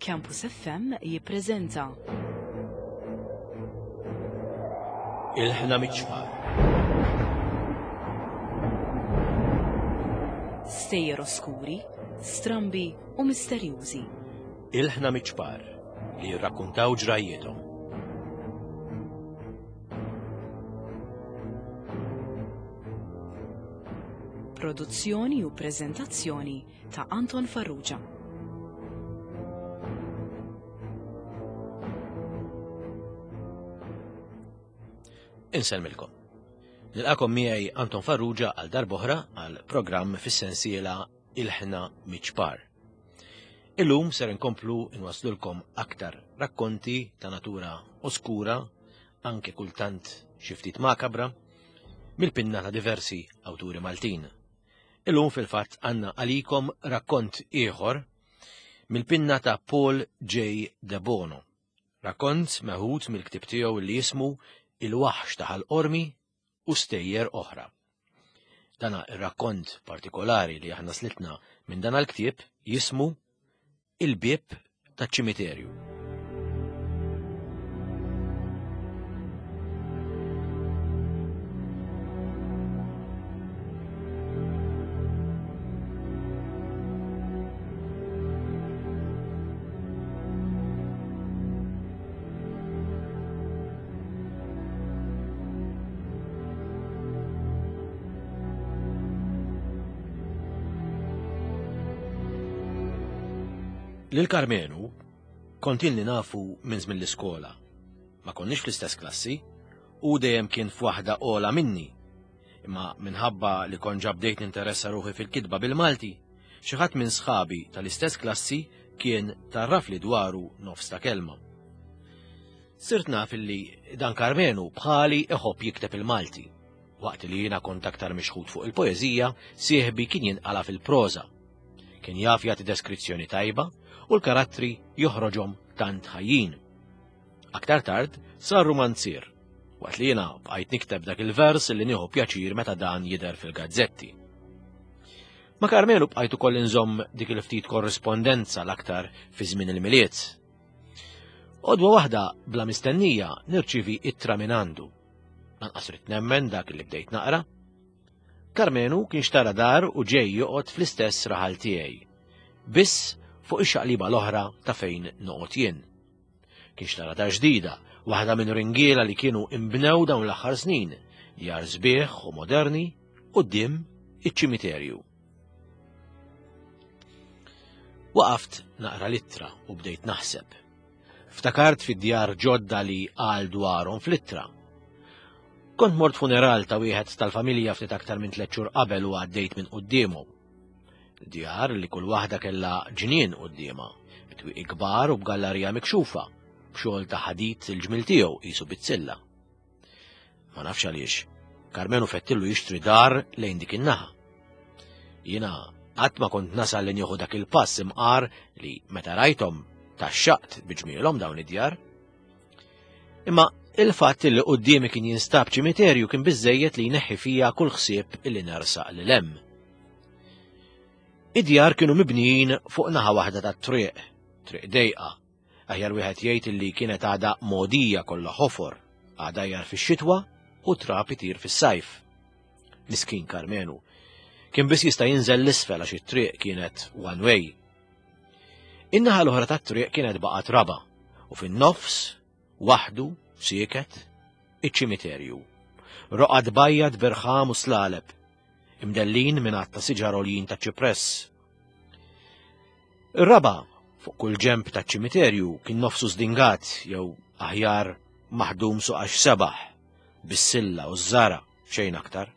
Campus FM jippreżenta. Il-ħna miċ-ċfar. Stejjer oskuri, strambi u misterjużi. Il-ħna miċ-ċpar li jirrakkuntaw ġrajjiethom. Produzzjoni u preżentazzjoni ta' Anton Farrugia. Insellmilkom. Nilqakom miegħi Anton Farrugia għal darboħra għal programm fis-sensiela Il-ħna miċ-ċpar. Illum ser inkomplu nwaslulkom aktar rakkonti ta' natura oskura, anke kultant xi ftit makabra, mill-pinna ta' diversi awturi Maltin. Illum fil-fatt għandna għalikom rakkont ieħor mill-pinna ta' Paul J. Debono. Rakkont meħud mill-ktieb tiegħu li jismu Il-Waħx ta' Ħal Qormi u Stejjer Oħra. Dana ir-rakkont partikolari li aħna slitna minn dan l-ktieb jismu Il-Bieb taċ-Ċimiterju. Lil Karmenu kont ilni nafu minn żmien l-iskola. Ma konniex fl-istess klassi, u dejjem kien f'waħda ola minni. Imma minħabba li kont ġa bdejt ninteressa ruħi fil-kitba bil-Malti, xi ħadd minn sħabi tal-istess klassi kien tarrafli dwaru nofs ta' kelma. Sirt naf illi dan Karmenu bħali iħobb jikteb il-Malti. Waqt li jiena kont aktar mixħut fuq il-poeżija, sieħbi kien jinqala fil-proża. Kien jaf jagħti deskrizzjoni tajba u l-karattri joħroġhom tant ħajjin. Aktar tard sar rumanzier, waqt li jiena bqajt nikteb dak il-vers li nieħu pjaċir meta dan jidher fil-gazzetti. Ma' Karmenu bqajt ukoll inżomm dik il-ftit korrispondenza l-aktar fi żmien il-Milied. Għodwa waħda bla mistennija nirċivi ittra minn għandu. Lanqas ridt nemmen dak li bdejt naqra. Karmenu kien xtara dar u ġej joqgħod fl-istess raħal tiegħi. Biss fuq ix-xaqliba l-oħra ta' fejn noqgħod jien. Kien xtara dar ġdida, waħda minn ringiela li kienu imbnew dawn l-aħħar snin, djar sbieħ u moderni quddiem iċ-ċimiterju. Waqaft naqra l-ittra u bdejt naħseb. Ftakart fid-djar ġodda li qal dwarhom fl-ittra. Kont mort funeral ta' wieħed tal-familja ftit aktar minn tliet xhur qabel u għaddejt minn quddiemhom. Djar li kull waħda kellha ġnien quddiemha, b'twieqi kbar u b'gallarija mikxufa, b'xogħol ta' ħadid il-ġmiel tiegħu qisu bizzilla. Ma nafx għaliex, Karmenu fettillu jixtri dar lejn dik in-naħa. Jiena qatt ma kont nasal li nieħu dak il-pass imqar li meta rajthom taxxaqt biġmielhom dawn id-djar. Imma il-fatt li quddiemi kien jinstab ċimiterju kien biżejjed li jneħħi fija kull ħsieb li nersaq lil hemm. Id-djar kienu mibnijin fuq naħa waħda tat-triq, triq dejqa, Aħjar wieħed jgħid illi kienet għadha mogħdija kollha ħofor, għadajjar fix-xitwa u trab itir fis-sajf. Miskin Karmenu. Kien biss jista' jinżel l-isfel għax it-triq kienet one way. In-naħa l-oħra tat-triq kienet baqgħet raba u fin-nofs, waħdu, sieket, iċ-ċimiterju. Roqgħad bajjad birħam u slaleb, imdellin minn għadd ta' siġar għoljin ta' ċipress. Ir-raba' fuq kull ġenb taċ-ċimiterju kien nofsu żdingat jew aħjar maħdum suqax sebaħ, bis-silla u ż-żara, xejn aktar.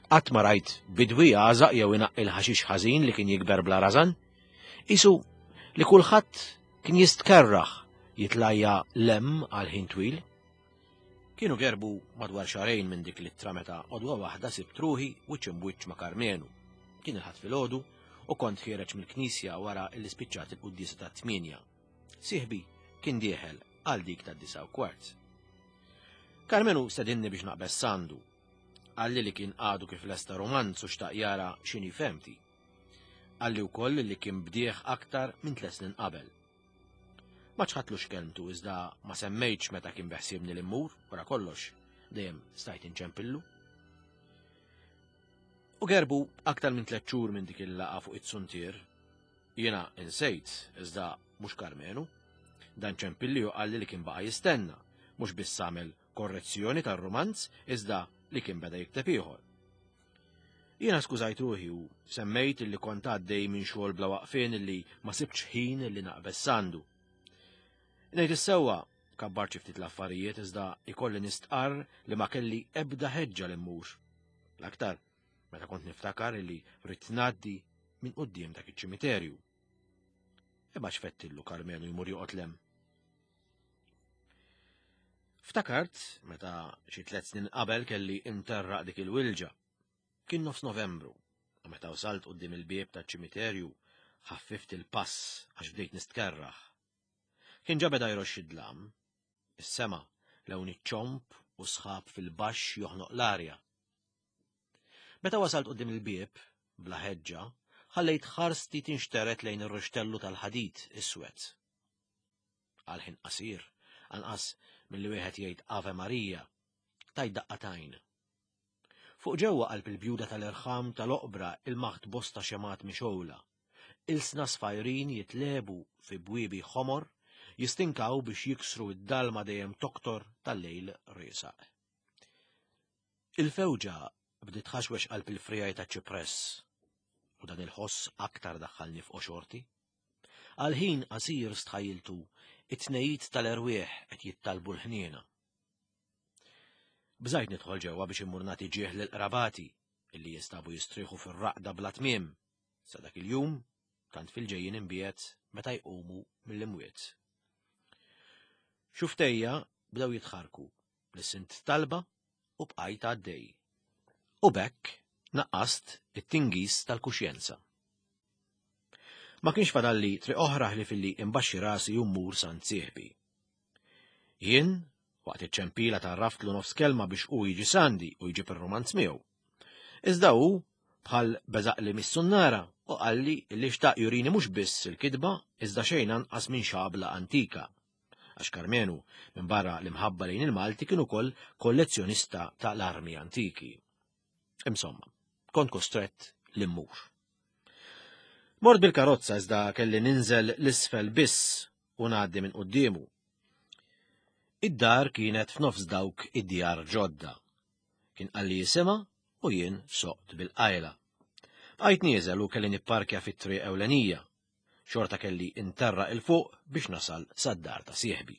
Qatt ma rajt bidwi jagħżaq jew inaqqi l-ħaxix ħażin li kien jikber bla rażan. Isu li kulħadd kien jistkerraħ jitlajja lem għal ħin twil. Kienu gerbu madwar xahrejn minn dik l-ittra meta għodwa waħda sibt ruħi wiċċ imbwiċċ ma' Karmenu. Kien il-Ħadd filgħodu u kont ħiereġ mill-knisja wara li spiċċat il-quddiesa tat-tmienja. Sieħbi kien dieħel għal dik tad-disgħa u kwart. Karmenu stedinni biex naqbeż s'għandu. Qalli li kien għadu kif lesta rumanz u xtaq jara x'inhi fehmti. Qalli wkoll li kien bdieh aktar minn tliet snin qabel. Ma ċħadtlux kelmtu iżda ma semmejtx meta kien beħsiebni li mmur, wara kollox, dejjem stajt inċempillu. U gerbu aktar minn tliet xhur minn dik il-laqa fuq it-suntier. Jiena insejt, iżda mhux Karmenu. Dan ċempilli u qalli li kien baqa' jistenna, mhux biss għamel korrezzjoni tar-rumanz iżda li kien beda jikteb ieħor. Jiena skużajt ruħi u semmejt illi kont għaddej minn xogħol bla waqfien illi ma sibtx ħin illi naqbeż sandu. Ngħid is-sewwa, kabbart xi ftit l-affarijiet iżda ikolli nistqarr li ma kelli ebda ħeġġa li mmur. L-aktar meta kont niftakar illi rrid ngħaddi minn quddiem dak iċ-ċimiterju. Imma x'fettillu Karmenu jmur joqgħod lem. Ftakart meta xi tliet snin qabel kelli interraq dik il-wilġa. Kien nofs Novembru, u meta wasalt quddiem il-bieb taċ-ċimiterju ħaffift il-pass għax bdejt nistkerraħ. Kien ġa beda jroxx id-dlam. Is-sema lewn iċ-ċomb u sħab fil-baxx joħnoq l-arja. Meta wasalt quddiem il-bieb, bla ħeġġa, ħallejt ħarsti tinxteret lejn ir-rixtellu tal-ħadid iswed. Għal ħin qasir, anqas milli wieħed jgħid Ave Marija, tajt daqqa t'għajn. Fuq ġewwa qalb il-bjuda tal-irħam tal-oqbra ilmaħt bosta xemgħat mixgħula. Ilsna sfajrin jitlebu fi bwiebi ħomor, jistinkaw biex jiksru d-dalma dejjem toktor tal-lejl riesaq. Il-fewġa bdiet tħaxwex qalb il-friegħi taċ-ċipress, u dan il-ħoss aktar daħħalni f'qoxorti. Għal ħin qasir stħajjiltu it-tnejid tal-erwieħ qed jittalbu l-ħniena. Bżajt nidħol ġewwa biex immur nagħti ġieħ lil qrabati illi jistabu jistrieħu fir-raqda bla tmiem sa dak il-jum tant fil-ġejjin imbiegħed meta jqumu mill-imwiet. Xuftejja bdew jitħarku, lissint talba u bqajt għaddej. U b'hekk naqqast it-tingiż tal-kuxjenza. Ma kienx fadalli triq oħra ħlief illi imbaxxi rasi u mmur sant sieħbi. Jien, waqt iċ-ċempila tgħarraftlu nofs kelma biex hu jiġi sandi u jġib ir-rumanz miegħu. Iżda hu bħal beżaqli mis-sunnara u qalli li xtaq jurini mhux biss il-kitba iżda xejn anqas minn xabla antika. Għax Karmenu, minn barra l-imħabba lejn il-Malti kien ukoll kollezzjonista ta' l-armi antiki. Insomma, kont kostrett li mmur. Mort bil-karozza iżda kelli ninżel l-isfel biss u ngħaddi minn quddiemu. Id-dar kienet f'nofs dawk id-djar ġodda. Kien qalli jisimha u jien soqt bil-qajla. Bqajt nieżel u kelli nipparkja fit-triq ewlenija. Xorta kelli interra il fuq biex nasal sad-dar ta' sieħbi.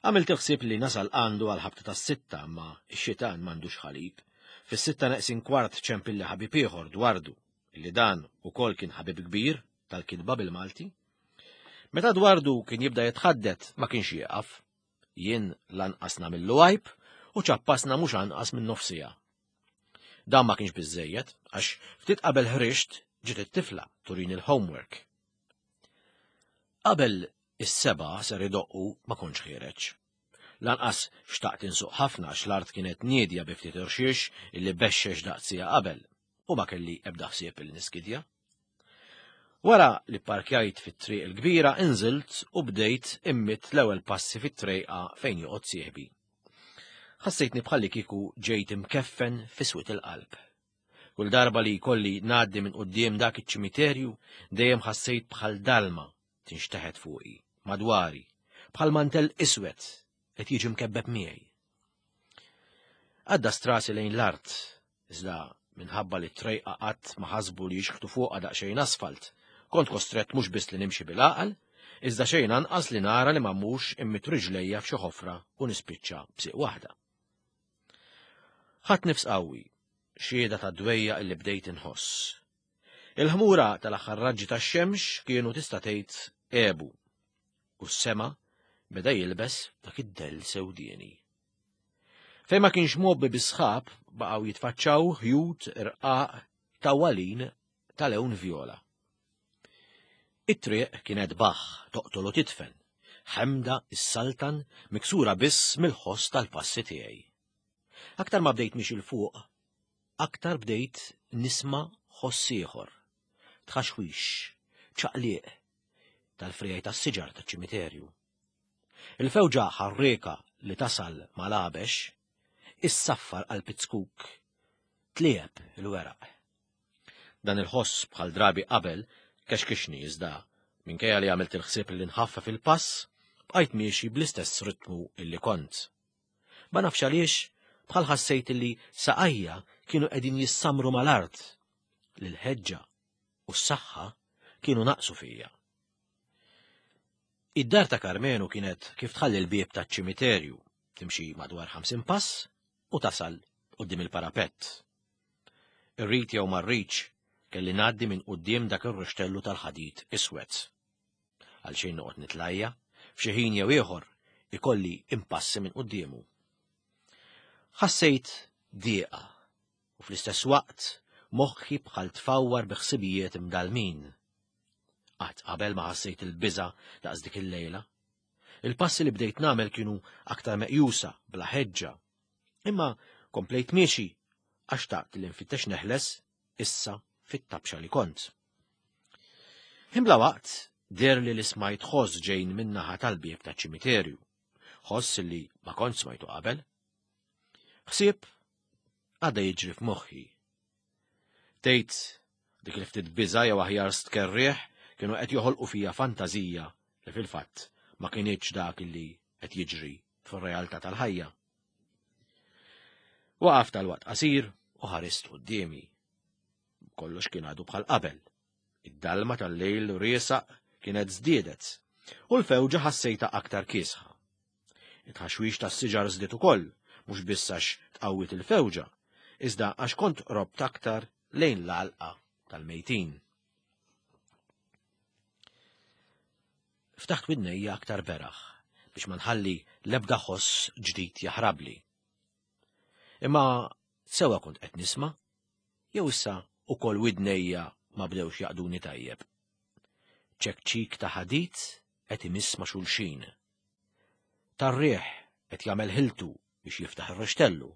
Għamilt il-ħsieb li nasal għandu għal ħabta tas-sitta imma x-xitan m'għandux ħalib. Fis-sitta neqsin kwart ċempilli ħabib ieħor dwardu, illi dan ukoll kien ħabib kbir tal-kitba bil-Malti. Meta dwardu kien jibda jitħaddet ma kienx jieqaf. Jien lanqas nagħmillu għajb u ċappasna mhux anqas minn nofsija. Dan ma kienx biżejjed għax ftit qabel ħriġt ġiet it-tifla turini l-homework. Qabel is-sebgħa ser idoqqu ma kontx ħiereġ. Lanqas xtaqt insuq ħafna għax l-art kienet niedja bi ftit irxiex illi bexxex daqs siegħa qabel u ma kelli ebda ħsieb illi niskidja. Wara li pparkjajt fit-triq il-kbira inżilt u bdejt immidd l-ewwel passi fit-trejqa fejn joqgħod sieħbi. Ħassejtni bħalli kieku ġejt imkeffen fi swied il-qalb. Kull darba li jkolli ngħaddi minn quddiem dak iċ-ċimiterju dejjem ħassejt bħal dalma tinxteħet fuqi, madwari, bħal mantell iswed qed jiġi mkebbeb miegħi. Għadda strasi lejn l-art, iżda minħabba li t-trejqa qatt ma ħasbu li jixħtu fuqha daqsxejn asfalt, kont kostrett mhux biss li nimxi bil-għaqal, iżda xejn anqas li nara li ma mmurx immit riġlejja f'xi ħofra u nispiċċa b'sieq waħda. Ħadt nifs qawwi, xhieda tad-dwejjaq li bdejt inħoss. Il-ħmura tal-aħħar raġġi tax-xemx kienu tista' tgħid għebu u s-sema beda jilbes dak id-dell sewdieni. Fejn ma kienx mgħobbi bis-sħab baqgħu jitfaċċaw ħjut irqaq tawwalin ta' lewn vjola. It-triq kienet baħħ toqtol u tidfen, ħemda s-saltan miksura biss mill-ħoss tal-passi tiegħi. Aktar ma bdejt mixi 'l fuq, aktar bdejt nisma' ħoss ieħor, tħaxwix, ċaqliq. tal-frijaj tas-siġar taċ-ċimiterju. Il-fewġa ħarrieka li tasal mal-għabex issaffar qalb iz-zkuk, tliegħeb il-weraq. Dan il-ħoss bħal drabi qabel kexkixni iżda minkejja li għamilt il-ħsieb li nħaffef il-pass, bqajt miexi bl-istess ritmu illi kont. Ma nafx għaliex bħal ħassejt illi saqajja kienu qegħdin jissamru mal-art li l-ħeġġa u s-saħħa kienu naqsu fija. Id-dar ta' Karmenu kienet kif tħalli l-bieb taċ-ċimiterju, timxi madwar 50 pass u tasal quddiem il-parapett. Irrid jew ma rridx kelli ngħaddi minn quddiem dak ir-ruxtellu tal-ħadid iswed. Għalxejn noqgħod nitlajja, f'xi ħin jew ieħor ikolli impassi minn quddiemu. Ħassejt dieqa u fl-istess waqt moħħi bħal tfawwar bi ħsibijiet imdallmin. Qatt qabel ma ħassejt il-biża' daqs dik il-lejla. Il-passi li bdejt nagħmel kienu aktar meqjusa, bla ħeġġa. Imma komplejt miexi għax taqt li nfittex neħles issa fit-tabxa li kont. Imbla waqt der li li smajt ħoss ġejn min-naħa tal-bieb taċ-ċimiterju. Ħoss li ma kont smajtu qabel. Ħsieb għadha jiġri f'moħħi. Tgħid dik il-ftit biża' jew aħjar stkerrieħ kienu qed joħolqu fija fantażija li fil-fatt ma kinitx dak li qed jiġri fir-realtà tal-ħajja. Waqaf tal-waqt qasir u ħarist quddiemi. Kollox kien għadu bħal qabel. Id-dalma tal-lejl riesaq kienet żdiedet u l-fewġa ħassejta aktar kiesħa. It-tħaxwix tas-siġar żdied ukoll, mhux biss għax tqawwiet il-fewġa, iżda għax kont qrobt aktar lejn l-għalqa tal-mejtin. Ftaħt widnejja aktar beraħ biex ma nħalli l-ebda ħoss ġdid jaħrabli. Imma sewa kont qed nisma' jew issa ukoll widnejja ma bdewx jaqduni tajjeb. Ċekċik ta' ħadid qed imiss ma' xulxin. Tar-riħ qed jagħmel ħiltu biex jiftaħ ir-rixtellu.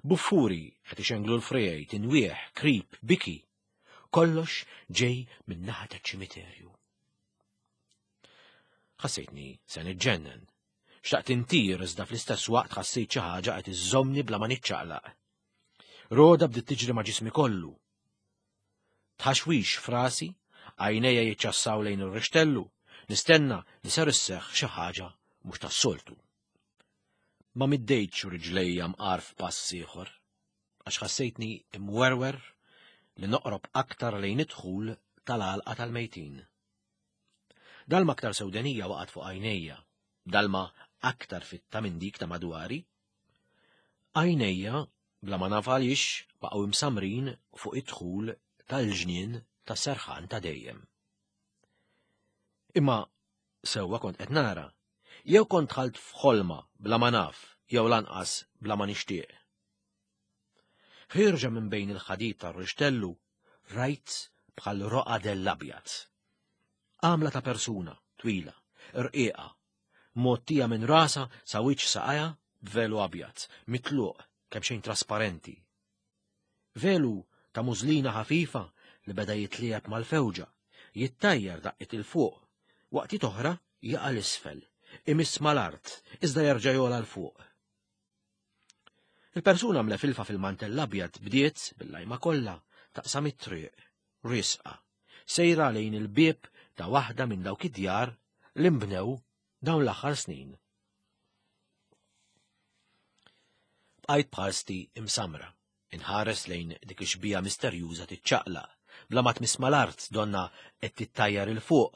Buffuri qed ixenglu l-friegħi, tinwieħ, krib, biki. Kollox ġej min-naħa taċ-ċimiterju. Ħassejtni se niġġennen. Xtaqt intir iżda fl-istess waqt ħassejt xi ħaġa qed iżżommni bla ma niċċaqlaq. Roda bdiet tiġri ma' ġismi kollu. Tħaxwix frasi, għajnejja jiċċassaw lejn ir-rixtellu, nistenna li ser isseħħ xi ħaġa mhux tas-soltu. Ma middejtx riġlejja mqar f'pass ieħor, għax ħassejtni imwerwer li noqrob aktar lejn id-dħul tal-għalqa tal-mejtin. Dalma aktar sewdenija waqgħet fuq għajnejja, dalma aktar fitta minn dik ta' madwari. Għajnejja, bla ma naf għaliex, baqgħu imsamrin fuq id-dħul tal-ġnien ta' serħan ta' dejjem. Imma sewwa kont qed nara, jew kont dħalt f'ħolma bla ma naf, jew lanqas bla ma nixtieq. Ħierġa minn bejn il-ħadid tar-rixtellu rajt bħal roqa dell abjad. Għamla ta' persuna, twila, rqiqa, mgħottija minn rasha sa wiċċ saqajha b'velu abjad, mitluq, kemxejn trasparenti. Velu ta' mużlina ħafifa li beda jitliegħeb mal-fewġa, jittajjar daqqiet 'il fuq, waqtiet oħra jaqa' 'l isfel, imiss mal-art, iżda jerġa' jogħla 'l fuq. Il-persuna mlefilfa fil-mantell abjad bdiet, bil-lajma kollha, taqsam it-triq, riesqa, sejra lejn il-bieb ta' waħda minn dawk id-djar li nbnew dawn l-aħħar snin. Bqajt b'ħarsti imsamra, inħares lejn dik ix-xbieha misterjuża tiċċaqlaq, bla ma tmiss mal-art donna qed tittajjar 'il fuq,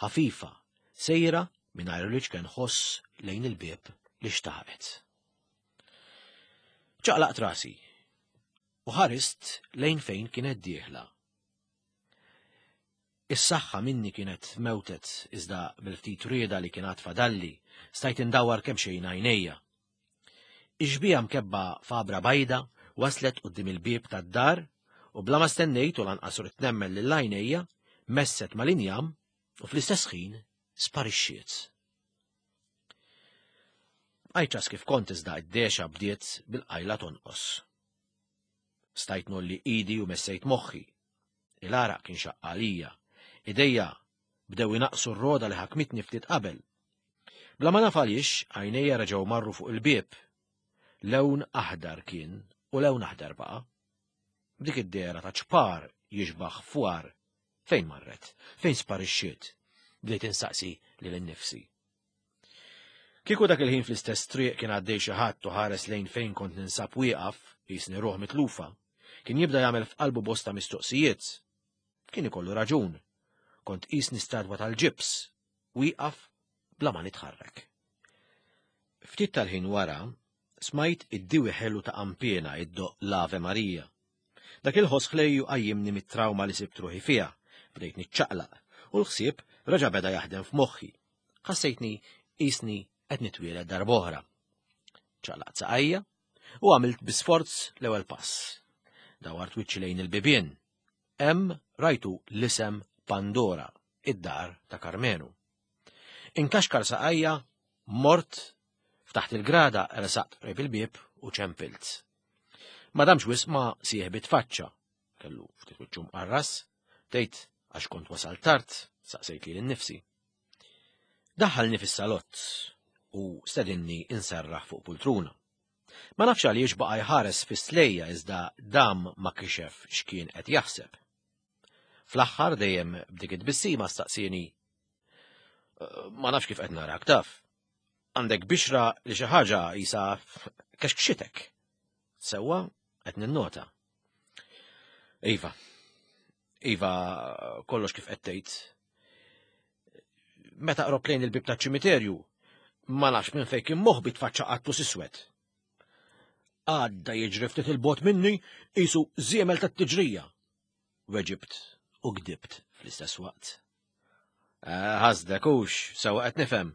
ħafifa, sejra mingħajr l-iċken ħoss lejn il-bieb li xtaqet. Ċaqlaqt rasi u ħarist lejn fejn kienet dieħla. Is-saħħa minni kienet mewtet iżda bil-ftit rieda li kien għad fadalli stajt indawwar kemm xejn għajnejja. Ix-xbieha mkebba f'għabra bajda waslet quddiem il-bieb tad-dar u bla ma stennejt u lanqas ridt nemmen lil għajnejja messet mal-injam u fl-istess ħin sparixxiet. Bqajt ċas kif kont iżda id-dexa bdiet bil-qajla tonqos. Stajt nolli idi u messejt moħħi. Il-għaraq kien xaqq għalija. Idejja Bdew inaqqsu r-roda li ħakmitni ftit qabel. Bla ma naf għaliex, għajnejja reġgħu marru fuq il-bieb. Lewn aħdar kien u lewn aħdar baqa'. B'dik id-dehra ta' ċpar jixbaħ fwar. Fejn marret? Fejn sparixxiet? Bdejt insaqsi lil innifsi. Kieku dak il-ħin fl-istess triq kien għaddej xi ħadd u ħares lejn fejn kont ninsab wieqaf, jisni ruħ mitlufa, kien jibda jagħmel f'qalbu bosta mistoqsijiet. Kien ikollu raġun. Kont qisni statwa tal-ġibs, wieqaf bla ma nitħarrek. Ftit tal-ħin wara, smajt id-diwi ħelu ta' qanpiena iddoqq l-Ave Maria. Dak il-ħoss ħlejju qajjimni mit-trawma li sibt ruħi fiha, bdejt niċċaqlaq, u l-ħsieb reġa' beda jaħdem f'moħħi. Ħassejtni qisni qed nitwieled darb'oħra. Ċaqlaqt saqajja u għamilt bi sforz l-ewwel pass. Dawart wiċċi lejn il-bibien. Hemm rajtu l-isem Pandora, id-dar ta' Karmenu. Inkaxkar saqajja, mort, ftaħt il-grada, resaqt qrib il-bieb u ċempilt. Ma damx wisq ma sieħbi tfaċċa. Kellu ftit wiċċu mqarras, tgħid għax kont wasal tard, saqsejt lili nnifsi. Daħħalni fis-salott u stedinni inserraħ fuq pultruna. Ma nafx għaliex baqa' jħares fis-slejja iżda dam ma kixef x'kien qed jaħseb. Fl-aħħar dejjem b'dik it-tbissima staqsieni Ma nafx kif qed narak taf. Għandek bixra li xi ħaġa isa kexkxitek. Sewwa qed ninnota. Iva. Iva, kollox kif qed tgħid. Meta qrob lejn il-bib taċ-ċimiterju, ma nafx minn fejn kien moħbi tfaċċa qattus iswed. Għadda jiġri ftit il-bot minni qisu żiemel tat-tiġrija. Weġibt u gdibt fl-istess waqt. Eh, ħasdek hux, sewa qed nifhem.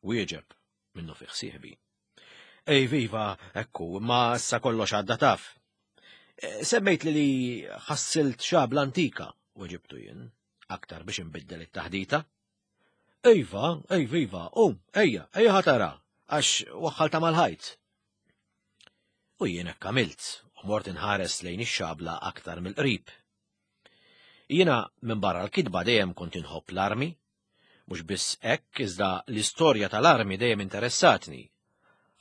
Wieġeb minnu fih sieħbi. Ej viva, ekku, ma issa kollox għadda taf. Eh, semmejt li li ħassilt xabla antika, weġibtu jien, aktar biex inbiddel it-taħdita. Ejva, ej viva, um, ejja, ejja ħatara, għax waħħalta mal-ħajt. U jien hekk għamilt, u mort inħares lejn ix-xabla aktar mill-qrib. Jiena minn barra l-kitba dejjem kont inħobb l-armi, mhux biss hekk iżda l-istorja tal-armi dejjem interessatni.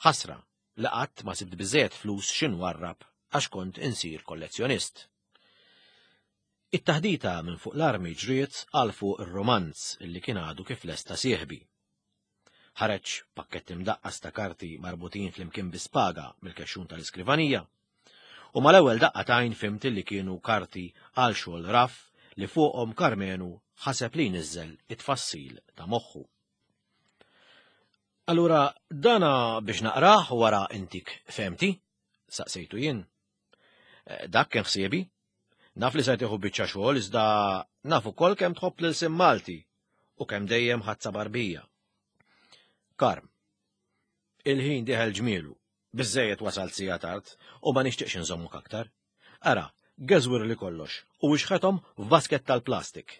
Ħasra li qatt ma sibt biżejjed flus x'inwarrab għax kont insir kollezzjonist. It-taħdita minn fuq l-armi ġriet għal fuq ir-romanz li kien għadu kif lesta sieħbi. Ħareġ pakkett imdaqqas ta' karti marbutin flimkien bi spaga mill-kexxun tal-iskrivanija. U mal-ewwel daqqa t'għajn fhimt li kienu karti għal xogħol raff li fuqhom Karmenu ħaseb li jniżżel it-tfassil ta' moħħu. Allura dana biex naqrah wara intik fehmti? Saqsejtu jien. Eh, dak kien ħsiebi. Naf li se tieħu biċċa xogħol iżda naf ukoll kemm tħobb lil sim Malti u kemm dejjem ħadd barbija. Karm. Il-ħin diħel ġmielu, biżejjed wasalt sija tard u ma nixtieqx inżommuk aktar. Ara, geżwir li kollox u wixħethom f'basket tal-plastik.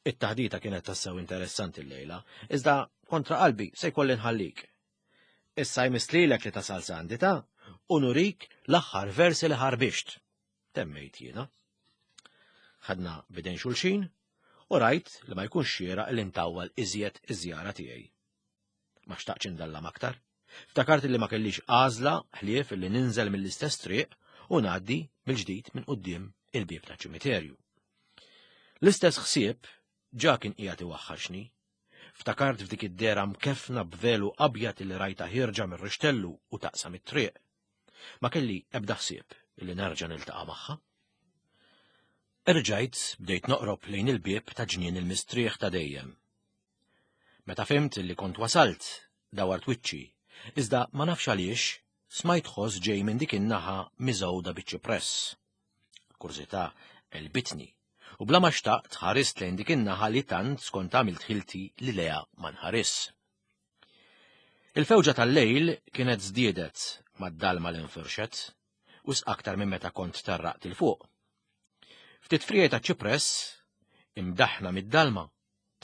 It-taħdita kienet tassew interessanti llejla, iżda kontra qalbi se jkolli nħallik. Issa jmiss lilek li tasal sandi ta' u nurik l-aħħar versi li ħarbixt. Temmejt jiena. Ħadna bidejn xulxin u rajt li ma jkunx xieraq li ntawwal iżjed iż-żjara tiegħi. Ma xtaqtx indallam aktar. Ftakart li ma kellix għażla ħlief li ninżel mill-istess triq u ngħaddi mill-ġdid minn quddiem il-bieb taċ-ċimiterju. L-istess ħsieb ġa kien qiegħed iwaħħaxni Ftakart f'dik id-dehra mkeffna b'velu abjad li rajtha ħierġa mir-rixtellu u taqsam it-triq. Ma kelli ebda ħsieb li nerġa' niltaqa' magħha. Erġajt bdejt noqrob lejn il-bieb ta' ġnien il-mistrieħ ta' dejjem. Meta fhimt li kont wasalt, dawart wiċċi, iżda ma nafx għaliex smajt ħoss ġej minn dik in-naħa miżgħuda biċ-ċipress. Kurżità għelbitni u bla ma xtaqt ħarist lejn dik in-naħa li tant skont għamilt ħilti li leha ma nħaris. Il-fewġa tal-lejl kienet żdiedet mad-dalma li nfirxet, wisq aktar minn meta kont tarraqt il fuq. Ftit friegħi ta' ċipress, imdaħna mid-dalma,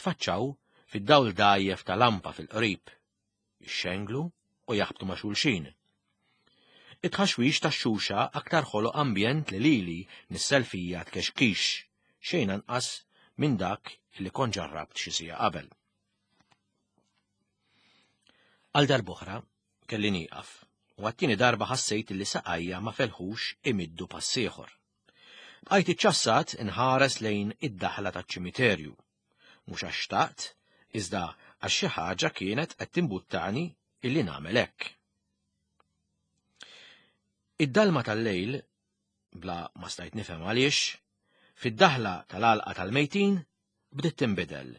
tfaċċaw fid-dawl dgħajjef ta' lampa fil-qrib, jixxenglu u jaħbtu ma' xulxin. It-tħaxwix tax-xuxa aktar ħoloq ambjent li lili nissel fija tkexkix, xejn anqas minn dak li kont ġarrabt xi siegħa qabel. Għal darb'oħra kelli nieqaf u għat-tieni darba ħassejt li saqajja ma felħux imiddu pass ieħor. Bqajt iċċassat inħares lejn id-daħla taċ-ċimiterju. Mhux għax xtaqt, iżda għax xi ħaġa kienet qed timbuttani illi nagħmel hekk. Id-dalma tal-lejl, bla ma stajt nifhem għaliex, fid-daħla tal-għalqa tal-mejtin bdiet tinbidel.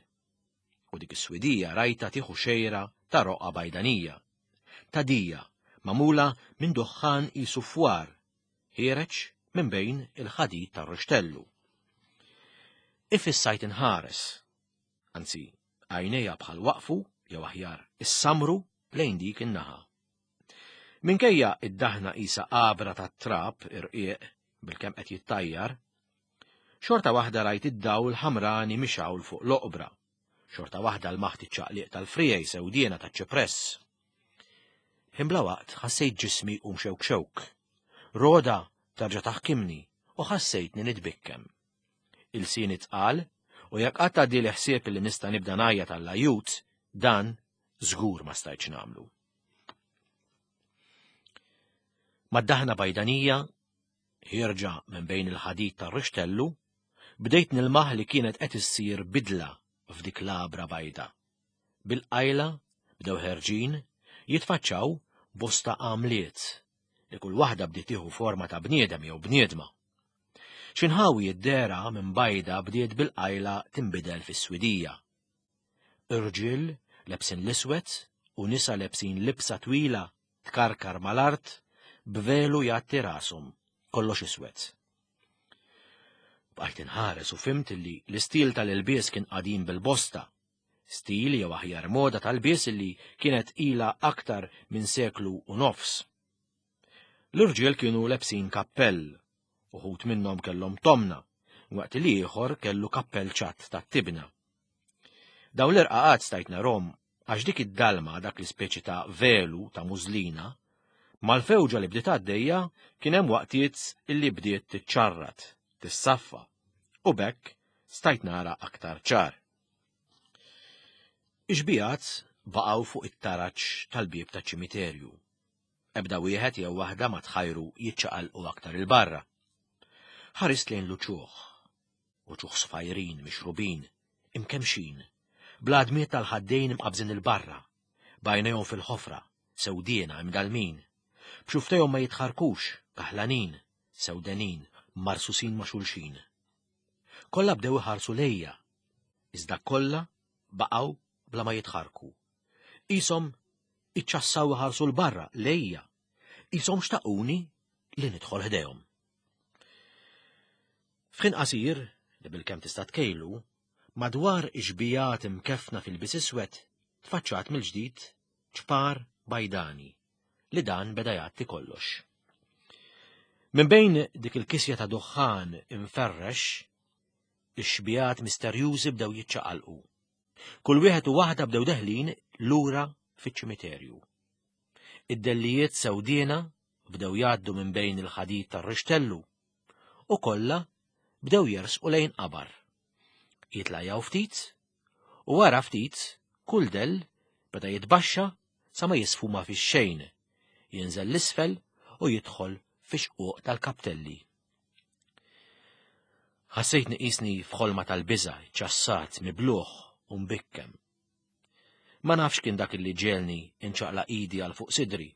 U dik is-swidija rajta tieħu xejra ta' roqa bajdanija. Ta' dija, magħmula minn duħħan qisu fwar, ħiereġ minn bejn il-ħadid tar-ruxtellu. Ifissajt inħares, anzi, għajnejja bħal waqfu, jew aħjar issamru lejn dik in-naħa. Minkejja id-daħna qisha għabra tat-trab irqiq bilkemm qed jittajjar, xorta waħda rajt id-dawl ħamrani mixgħul fuq l-oqbra, xorta waħda lmaħt iċ-ċaqliq tal-friegħi sewdiena taċ-ċipress. Ħin bla waqt ħassejt ġismi jqum xewk xewk. Roda tarġa' taħkimni u ħassejtni nitbikkem. Ilsieni tqal u jekk qatt għaddieli ħsieb li nista' nibda ngħajjat għall-ajjut, dan żgur ma stajtx nagħmlu. Mad-daħna bajdanija, ħierġa minn bejn il-ħadid tar-rixtellu, bdejt nilmaħ li kienet qed issir bidla f'dik l-għabra bajda. Bil-qajla bdew ħerġin jitfaċċaw bosta għamliet li kull waħda bdiet tieħu forma ta' bniedem jew bniedma. Xi nħawi d-dehra minn bajda bdiet bil-qajla tinbidel fis-swidija. Irġiel lebsin l-iswed u nisa lebsin libsa twila tkarkar mal-art b'velu jgħatti rashom, kollox iswed. Bqajt inħares u fhimt li l-istil tal-ilbies kien qadim bil-bosta, stil jew aħjar moda tal-lbies li kienet ilha aktar minn seklu u nofs. L-irġiel kienu lebsin kappell, uħud minnhom kellhom tomna, waqt li ieħor kellu kappell ċatt tat-tibna. Dawn l-irqaqat stajt narhom għax dik id-dalma dak l-ispeċi ta' velu ta' mużlina, mal-fewġa li bdiet għaddejja kien hemm waqtiet illi bdiet tiċċarrat, tissaffa, u b'hekk stajt nara aktar ċar. Ix-xbigħat baqgħu fuq it-taraġ tal-bieb taċ-ċimiterju. Ebda wieħed jew waħda ma tħajru jiċċaqalqu aktar 'il barra. Ħarist lejn l-uċuħ, uċuħ sfajrin, mixrubin, imkemmxin, bl-għadmiet tal-ħaddejn imqabbżin 'il barra, b'għajnejhom fil-ħofra, sewdiena, imdallmin, b'xufftejhom ma jitħarrkux, kaħlanin, sewdenin, marsusin ma' xulxin. Kollha bdew iħarsu lejja, iżda kollha baqgħu bla ma jitħarrku. Qishom iċċassaw iħarsu 'l barra lejja, qishom xtaquni li nidħol ħdejhom. F'ħin qasir, li bilkemm tista' tkejlu, madwar ix-xbijat imkeffna fil-bies iswed tfaċċat mill-ġdid ċpar bajdani li dan beda jgħatti kollox. Minn bejn dik il-kisja ta' duħħan imferrex, ix-xbijat misterjużi bdew jiċċaqalqu. Kull wieħed u waħda bdew deħlin lura fiċ-ċimiterju. Id-dellijiet sewdiena bdew jgħaddu minn bejn il-ħadid tar-rixtellu u kollha bdew jersqu lejn qabar. Jitlajjaw ftit u wara ftit kull dell beda jitbaxxa sa ma jisfuma fix-xejn, jinżel l-isfel u jidħol fix-xquq tal-kaptelli. Ħassejtni qisni f'ħolma tal-biża', ċassat, mibluh u mbikkem. Ma nafx kien dak li ġegħelni inċaqlaq idi għal fuq sidri.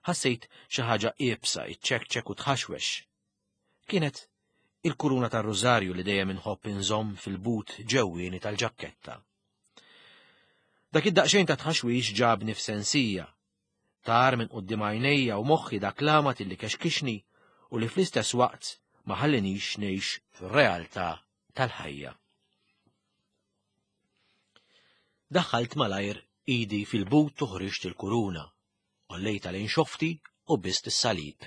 Ħassejt xi ħaġa iebsa iċċekċek u tħaxwex. Kienet il-kuruna tar-rużarju li dejjem inħobb inżomm fil-but ġewwieni tal-ġakketta. Dak id-daqsxejn ta' tħaxwix ġabni f'sensija. Tar minn quddiem għajnejja u moħħi dak l-għamad illi kexkixni u li fl-istess waqt ma ħallinix ngħix fir-realtà tal-ħajja. Daħħalt malajr idi fil-but u ħriġt il-kuruna, għollejtha lejn xofti u bist is-salib.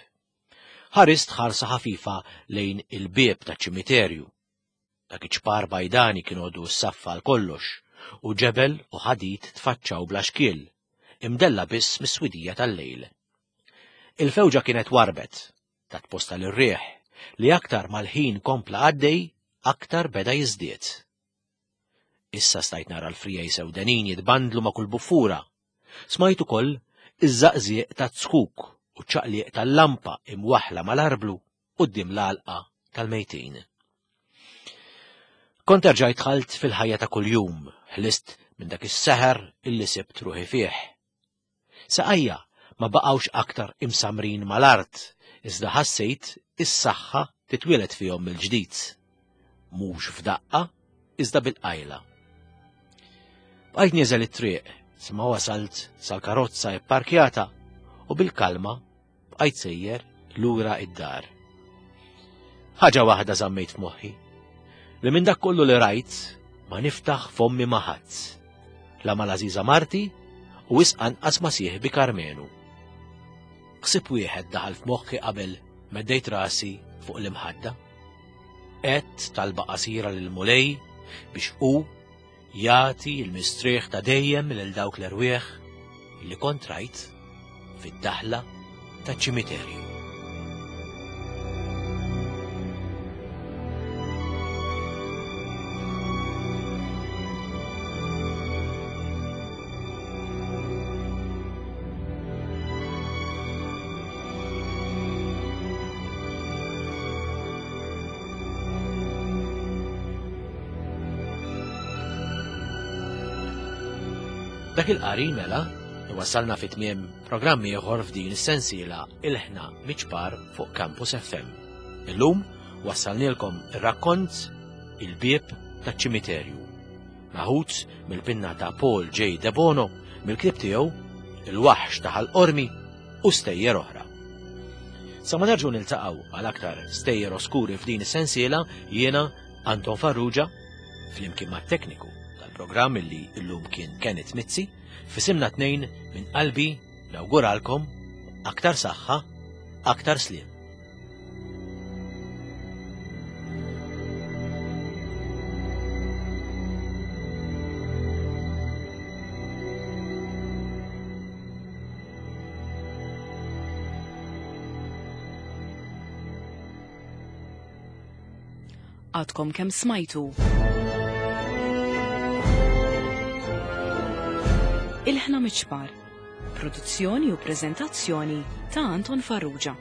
Ħarist ħarsa ħafifa lejn il-bieb taċ-ċimiterju. Dak iċ-ċpar bajdani kien għodu s-saffa għal kollox u ġebel u ħadid tfaċċaw bla xkiel, imdella biss mis-swidija tal-lejl. Il-fewġa kienet warbet, tat posta lir-riħ, li aktar mal-ħin kompla għaddej, aktar beda jiżdied. Issa stajt nara l-frijaj sewdenin jitbandlu ma' kull buffura. Smajt ukoll iż-żaqżieq ta' zkuk u ċaqliq tal-lampa imwaħla mal-arblu quddiem l-għalqa tal-mejtin. Kont erġajt dħalt fil-ħajja ta' kuljum, ħlist minn dak is-seħer illi sibt ruħi fih. Saqajja ma baqgħux aktar imsamrin mal-art, iżda ħassejt is-saħħa titwieled fihom mill-ġdid. Mhux f'daqqa, iżda bil-qajla. Bqajt nieżel it-triq, sa ma wasalt sal-karozza ipparkjata u bil-kalma Bqajt sejjer lura id-dar. Ħaġa waħda żammejt f'moħħi, li minn dak kollu li rajt ma niftaħ fommi ma' ħadd. La mal-għażiża marti u wisq anqas ma' sieħbi Karmenu. Ħsieb wieħed daħal f'moħħi qabel meddejt rasi fuq l-imħadda. Għedt talba qasira lill-Mulej biex hu jagħti l-mistrieħ ta' dejjem lil dawk l-erwieħ li kont rajt fid-daħla taċ-ċimiterju. Dak il-qari mela iwassalna fi tmiem programm ieħor f'din is-sensiela Il-Ħna Miċpar fuq Campus FM. Illum wassalnielkom ir-rakkont Il-Bieb taċ-Ċimiterju. Maħud mill-pinna ta' Paul J. Debono mill-ktieb tiegħu Il-Waħx ta' Ħal Qormi u stejjer oħra. Sa ma nerġgħu niltaqgħu għal aktar stejjer oskuri f'din is-sensiela jiena Anton Farrugia flimkien mat-tekniku tal-programm illi llum kien Kenneth Mizzi, f'isimna tnejn minn qalbi nawguralkom aktar saħħa, aktar sliem. Għadkom kemm smajtu. Il-ħna miċpar. Produzzjoni u preżentazzjoni ta' Anton Farrugia.